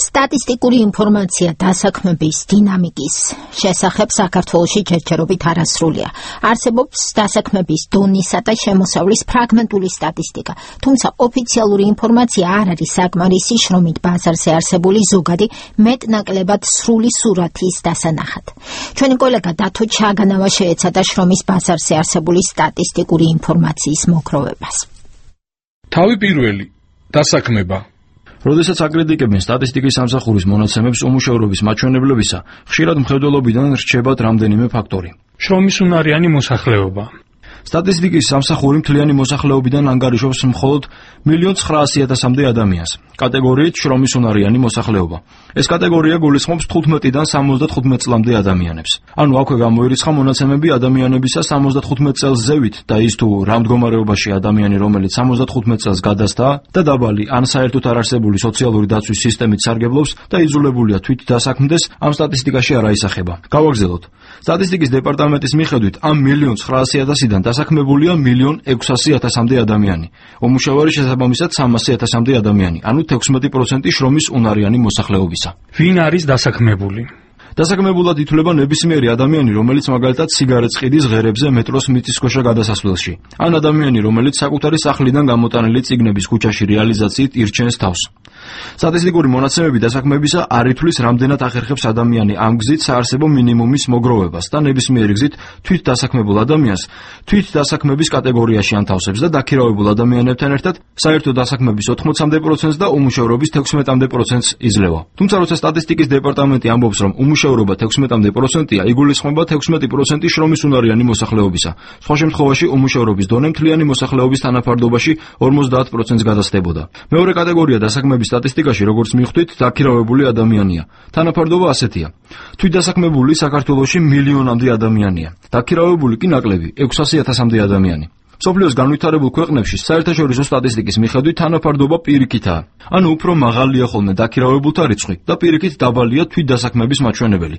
სტატისტიკური ინფორმაცია დასაქმების დინამიკის შესახებ საქართველოში ჯერჯერობით არასრულია. არსებობს დასაქმების დონისა და შემოსავლის ფრაგმენტული სტატისტიკა, თუმცა ოფიციალური ინფორმაცია არ არის საკმარისი შრომით ბაზარზე არსებული ზოგადი მეტნაკლებად სრული სურათის დასანახად. ჩვენი კოლეგა დათო ჩაგანავა შეეცადა შრომის ბაზარზე არსებული სტატისტიკური ინფორმაციის მოგროვებას. თავი პირველი დასაქმება. როდესაც აკრიტიკებენ სტატისტიკის სამსახურის მონაცემებს უმუშევრობის მაჩვენებლებისა, ხშირად მხედველობიდან რჩებათ რამდენიმე ფაქტორი. შრომის უნარიანი მოსახლეობა. სტატისტიკის სამსახური მთლიანი მოსახლეობიდან ანგარიშობს მხოლოდ 1,900,000-მდე ადამიანს. კატეგორიით შრომის უნარიანი მოსახლეობა. ეს კატეგორია გულისხმობს 15-დან 75 წლამდე ადამიანებს. ანუ აქვე გამოირიცხა მონაცემები ადამიანებისა 75 წელს ზევით და ის თუ რა მდგომარეობაში ადამიანი, რომელიც 75 წელს გადასტა და დაბალი ან საერთოდ არ არსებული სოციალური დაცვის სისტემით სარგებლობს და იძულებულია თვით დასაქმდეს, ამ სტატისტიკაში არ აისახება. გავაგრძელოთ. სტატისტიკის დეპარტამენტის მიხედვით ამ 1,900,000-დან დასაქმებულია 1,600,000-მდე ადამიანი. უმუშევარი შესაბამისად 300,000-მდე ადამიანი, ანუ 16% შრომის უნარიანი მოსახლეობისა. ვინ არის დასაქმებული? დასაქმებულად ითვლება ნებისმიერი ადამიანი, რომელიც მაგალითად სიგარეტს ყიდის ღერებზე მეტროს მიწისქვეშა გადასასვლელში, ან ადამიანი, რომელიც საკუთარი სახლიდან გამოტანილი წიგნების ქუჩაში რეალიზაციით ირჩენს თავს. სტატისტიკური მონაცემები დასაქმებისა არ ითვლის, რამდენად ახერხებს ადამიანი ამ გზით საარსებო მინიმუმის მოგროვებას და ნებისმიერი გზით თვით დასაქმებულ ადამიანს თვით დასაქმების კატეგორიაში ანთავსებს და დაქირავებულ ადამიანებთან ერთად საერთო დასაქმების 80% და უმუშევრობის 16% იძლევა. თუმცა როცა სტატისტიკის დეპარტამენტი ამბობს, რომ უმუშევრობა 16%-ია, იგულისხმება 16% შრომის უნარიანი მოსახლეობისა. სხვა შემთხვევაში უმუშევრობის დონე მთლიანი მოსახლეობის თანაფარდობაში 50%-ს გადასდებოდა. მეორე კატეგორია დასაქმების სტატისტიკაში, როგორც მივხვდით, დაქირავებული ადამიანია. თანაფარდობა ასეთია. თვით დასაქმებული საქართველოში 1,000,000-მდე ადამიანია. დაქირავებული კი ნაკლები 600,000-მდე ადამიანი. მსოფლიოს განვითარებულ ქვეყნებში საერთაშორისო სტატისტიკის მიხედვით თანაფარდობა პირიქითაა. ანუ უფრო მაღალია ხოლმე დაქირავებულთა რიცხვი და პირიქით დაბალია თვით დასაქმების მაჩვენებელი.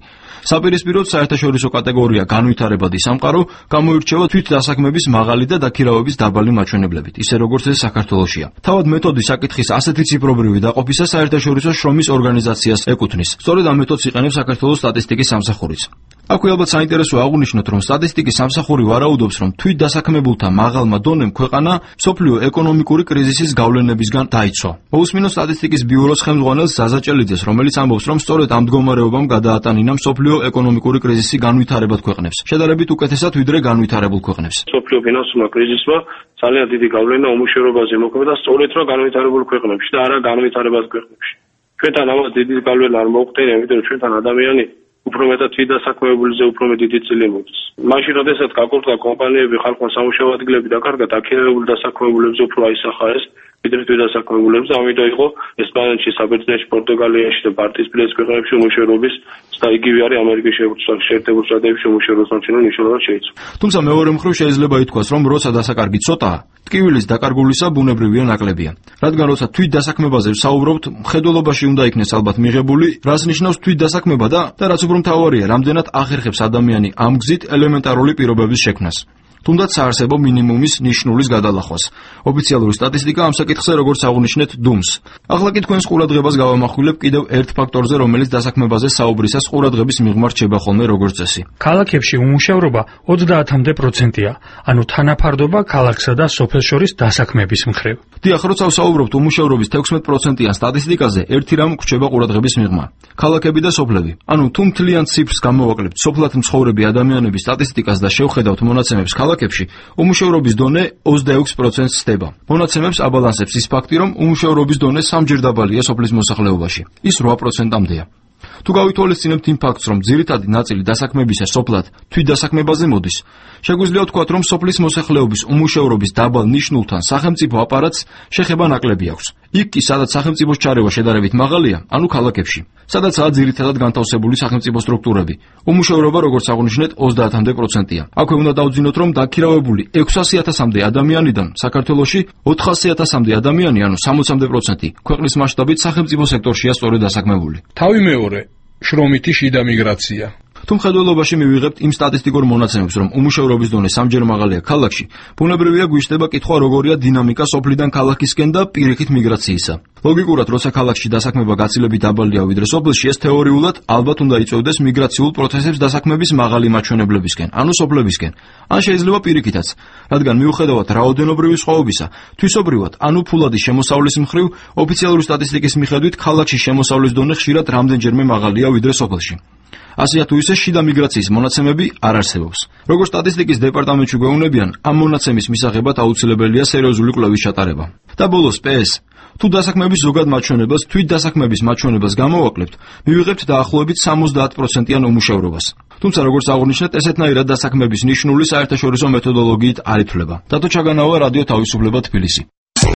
საპირისპიროდ საერთაშორისო კატეგორია განვითარებადი სამყარო გამოირჩევა თვით დასაქმების მაღალი და დაქირავების დაბალი მაჩვენებლებით, ისე როგორც ეს საქართველოშია. თავად მეთოდი საკითხის ასეთი ციფრობრივი დაყოფისა საერთაშორისო შრომის ორგანიზაციას ეკუთვნის. სწორედ ამ მეთოდს იყენებს საქართველოს სტატისტიკის სამსახურიც. აქვე ალბათ საინტერესოა აღვნიშნოთ, რომ სტატისტიკის სამსახური ვარაუდობს, რომ თვით დასაქმებულთა მაღალმა დონემ ქვეყანა მსოფლიო ეკონომიკური კრიზისის გავლენებისგან დაიცვა. მოусმინოთ სტატისტიკის ბიუროს ხელმძღვანელს ზაზა ჭელიძეს, რომელიც ამბობს, რომ სწორედ ამ მდგომარეობამ გადაატანინა მსოფლიო ეკონომიკური კრიზისი განვითარებად ქვეყნებს, შედარებით უკეთესად ვიდრე განვითარებულ ქვეყნებს. მსოფლიო ფინანსურმა კრიზისმა ძალიან დიდი გავლენა უმუშევრობაზე მოქმედა სწორედ რა განვითარებულ ქვეყნებში და არა განვითარებად ქვეყნებში. ჩვენთან ამას დიდი გავლენა არ მოუხდენია, იმიტომ რომ ჩვენთან ადამიანი უფრო მეტად თვით დასაქმებულიზე უფრო მეტი წილი მოდის. მაშინ როდესაც გაკურთხა კომპანიები, ხალხმა სამუშაო ადგილები დაკარგა, დაქირავებულ დასაქმებულებზე უფრო აისახა ეს, ვიდრე თვით დასაქმებულებზე, ამიტომ იყო ესპანეთში, საბერძნეთში, პორტუგალიაში და ბალტიისპირეთის ქვეყნებში უმუშევრობის და იგივე არის ამერიკის შეერთებულ შტატებში უმუშევრობის მაჩვენებელი მნიშვნელოვნად შეიცვალა. თუმცა მეორე მხრივ შეიძლება ითქვას, რომ როცა დასაკარგი ცოტაა, ტკივილის დაკარგულისა ბუნებრივია ნაკლებია. რადგან როცა თვით დასაქმებაზე ვსაუბრობთ, მხედველობაში უნდა იქნეს ალბათ მიღებული, რას ნიშნავს თვით დასაქმება და რაც უფრო მთავარია, რამდენად ახერხებს ადამიანი ამ გზით ელემენტარული პირობების შექმნას. თუნდაც საარსებო მინიმუმის ნიშნულის გადალახვას. ოფიციალური სტატისტიკა ამ საკითხზე, როგორც აღნიშნეთ, დუმს. ახლა კი თქვენს ყურადღებას გავამახვილებ კიდევ ერთ ფაქტორზე, რომელიც დასაქმებაზე საუბრისას ყურადღების მიღმა რჩება ხოლმე როგორც წესი. ქალაქებში უმუშევრობა 30%-ია, ანუ თანაფარდობა ქალაქსა და სოფელს შორის დასაქმების მხრივ. დიახ, როცა ვსაუბრობთ უმუშევრობის 16%-იან სტატისტიკაზე, ერთი რამ გვჩება ყურადღების მიღმა. ქალაქები და სოფლები. ანუ თუ მთლიან ციფრს გამოვაკლებთ სოფლად მცხოვრები ადამიანების სტატისტიკას და შევხედავთ მონაცემებს ქალაქებში, უმუშევრობის დონე 26%-ს ხდება. მონაცემებს აბალანსებს ის ფაქტი, რომ უმუშევრობის დონე სამჯერ დაბალია სოფლის მოსახლეობაში. ის 8%-მდეა. თუ გავითვალისწინებთ იმ ფაქტს, რომ ძირითადი ნაწილი დასაქმებისა სოფლად თვით დასაქმებაზე მოდის, შეგვიძლია ვთქვათ, რომ სოფლის მოსახლეობის უმუშევრობის დაბალ ნიშნულთან სახელმწიფო აპარატს შეხება ნაკლები აქვს. იქ კი, სადაც სახელმწიფოს ჩარევა შედარებით მაღალია, ანუ ქალაქებში, სადაცაა ძირითადად განთავსებული სახელმწიფო სტრუქტურები. უმუშევრობა, როგორც აღნიშნეთ, 30%-ია. აქვე უნდა დავძინოთ, რომ დაქირავებული 600,000-მდე ადამიანიდან საქართველოში 400,000-მდე ადამიანი, ანუ 60%, ქვეყნის მასშტაბით სახელმწიფო სექტორშია სწორედ დასაქმებული. თავი მეორე, შრომითი შიდა მიგრაცია. თუ მხედველობაში მივიღებთ იმ სტატისტიკურ მონაცემებს, რომ უმუშევრობის დონე სამჯერ მაღალია ქალაქში, ბუნებრივია გვიშდება კითხვა, როგორია დინამიკა სოფლიდან ქალაქისკენ და პირიქით მიგრაციისა. ლოგიკურად, როცა ქალაქში დასაქმება გაცილებით დაბალია ვიდრე სოფელში, ეს თეორიულად ალბათ უნდა იწვევდეს მიგრაციულ პროცესებს დასაქმების მაღალი მაჩვენებლებისკენ, ანუ სოფლებისკენ. ან შეიძლება პირიქითაც, რადგან მიუხედავად რაოდენობრივი სხვაობისა, თვისობრივად, ანუ ფულადი შემოსავლის მხრივ, ოფიციალური სტატისტიკის მიხედვით, ქალაქში შემოსავლის დონე ხშირად რამდენჯერმე მაღალია ვიდრე სოფელში. ასეა თუ ისე შიდა მიგრაციის მონაცემები არ არსებობს. როგორც სტატისტიკის დეპარტამენტში გვეუბნებიან, ამ მონაცემის მისაღებად აუცილებელია სერიოზული კვლევის ჩატარება. და ბოლოს PS, თუ დასაქმების ზოგად მაჩვენებელს, თვით დასაქმების მაჩვენებელს გამოვაკლებთ, მივიღებთ დაახლოებით 70%-იან უმუშევრობას. თუმცა როგორც აღნიშნეთ, ესეთნაირად დასაქმების ნიშნული საერთაშორისო მეთოდოლოგიით არ ითვლება. დათო ჩაგანავა, რადიო თავისუფლება, თბილისი.